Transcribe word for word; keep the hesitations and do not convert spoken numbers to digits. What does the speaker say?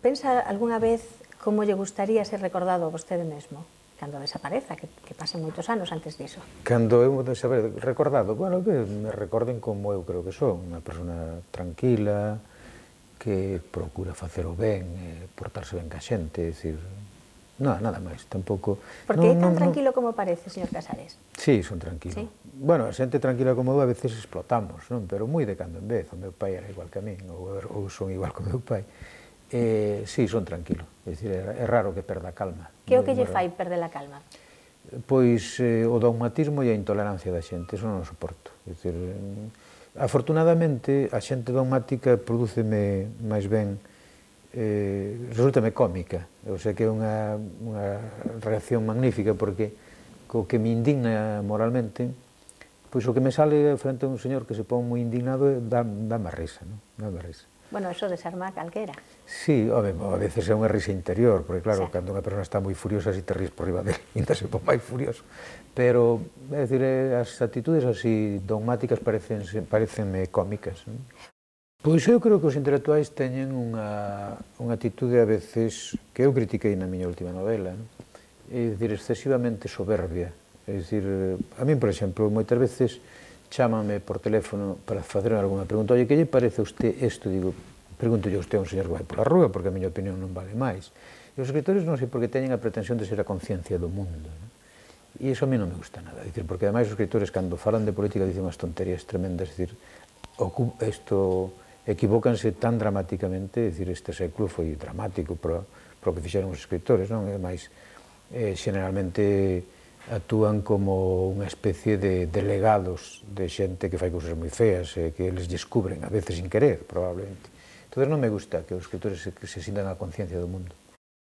Pensa algunha vez como lle gustaría ser recordado a vostede mesmo, cando desapareza, que, que pasen moitos anos antes diso? Cando eu saber recordado, bueno, que me recorden como eu creo que son, unha persona tranquila, que procura facer o ben, eh, portarse ben ca xente, é dicir, nada, nada máis, tampouco... Porque é tan tranquilo como parece, señor Casares? Sí, son tranquilo. Bueno, a xente tranquila como eu a veces explotamos, non? Pero moi de cando en vez, o meu pai era igual que a min, ou, ou son igual que o meu pai. Eh, sí, son tranquilo, é dicir, é raro que perda a calma. Que é o que lle fai perder a calma? Pois eh, o dogmatismo e a intolerancia da xente, eso non o soporto. É dicir, afortunadamente, a xente dogmática prodúceme máis ben, eh, resultame cómica, o sea que é unha, unha reacción magnífica, porque co que me indigna moralmente, pois o que me sale frente a un señor que se pon moi indignado dá, dá má risa, non? Dá má risa. Bueno, eso desarma a calquera. Sí, home, a veces é unha risa interior, porque claro, sí, cando unha persona está moi furiosa, si te ríes por riba dele, ainda se pon máis furioso. Pero, é dicir, as actitudes así dogmáticas parecenme cómicas. Non? Pois eu creo que os intelectuais teñen unha, unha actitude a veces que eu critiquei na miña última novela, non? É dicir, excesivamente soberbia. É dicir, a min, por exemplo, moitas veces chámame por teléfono para facerme algunha pregunta. Oye, que lle parece a usted isto? Digo, pregunto yo a usted a un señor que vai pola rúa, porque a miña opinión non vale máis. E os escritores non sei porque teñen a pretensión de ser a conciencia do mundo. Non? E iso a mí non me gusta nada. Dicir, porque ademais os escritores, cando falan de política, dicen unhas tonterías tremendas. Dicir, isto equivócanse tan dramáticamente. Dicir, este século foi dramático para o que fixeron os escritores, non? E ademais, eh, generalmente actúan como unha especie de delegados de xente que fai cousas moi feas e que eles descubren, a veces sin querer, probablemente. Entón non me gusta que os escritores se, se sintan a conciencia do mundo.